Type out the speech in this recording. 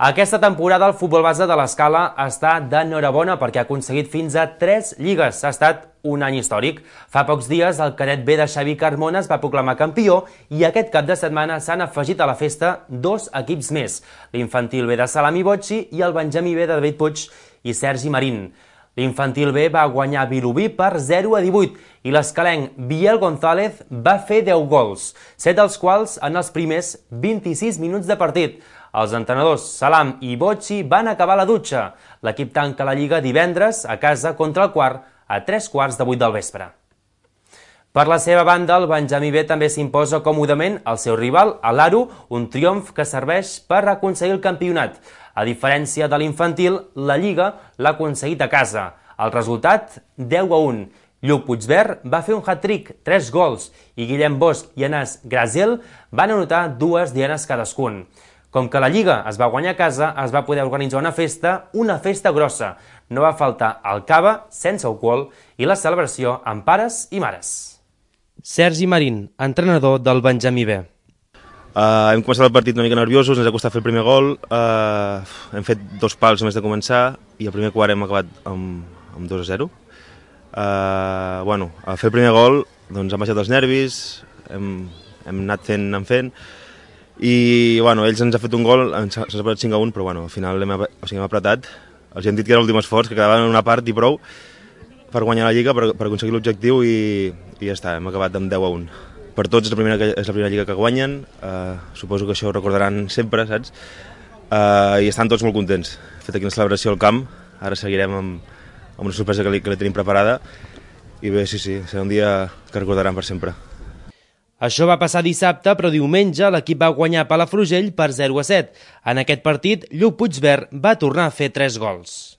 Aquesta temporada el futbol base de l'Escala està d'enhorabona perquè ha aconseguit fins a 3 lligues. Ha estat un any històric. Fa pocs dies el cadet B de Xavi Carmona es va proclamar campió i aquest cap de setmana s'han afegit a la festa 2 equips més, l'infantil B de Salami Bocci i el Benjamí B de David Puig i Sergi Marín. L'infantil B va guanyar Vilobí per 0-18 i l'escalenc Biel González va fer 10 gols, 7 dels quals en els primers 26 minuts de partit. Els entrenadors Salam i Bocci van acabar la dutxa. L'equip tanca la Lliga divendres a casa contra el Quart a 3:15 del vespre. Per la seva banda, el Benjamí B també s'imposa còmodament al seu rival, a l'Aro, un triomf que serveix per aconseguir el campionat. A diferència de l'infantil, la Lliga l'ha aconseguit a casa. El resultat, 10-1. Lluc Puigverd va fer un hat-trick, 3 gols, i Guillem Bosch i Anas Graziel van anotar 2 dianes cadascun. Com que la Lliga es va guanyar a casa, es va poder organitzar una festa grossa. No va faltar el cava sense alcohol i la celebració amb pares i mares. Sergi Marín, entrenador del Benjamí B. Hem començat el partit una mica nerviosos, ens ha costat fer el primer gol, hem fet 2 pals només de començar i el primer quart hem acabat amb 2-0. A fer el primer gol doncs, han baixat els nervis, hem anat fent, i ells ens han fet un gol, ens ha separat 5-1, però al final hem apretat. Els hem dit que era l'últim esforç, que quedava en una part i prou per guanyar la Lliga, per aconseguir l'objectiu i ja està, hem acabat amb 10-1. Per tots és la primera Lliga que guanyen, suposo que això ho recordaran sempre, saps? I estan tots molt contents. Hem fet aquí una celebració al camp, ara seguirem amb una sorpresa que li tenim preparada i bé, sí, serà un dia que recordaran per sempre. Això va passar dissabte, però diumenge l'equip va guanyar Palafrugell per 0-7. En aquest partit, Lluc Puigverd va tornar a fer 3 gols.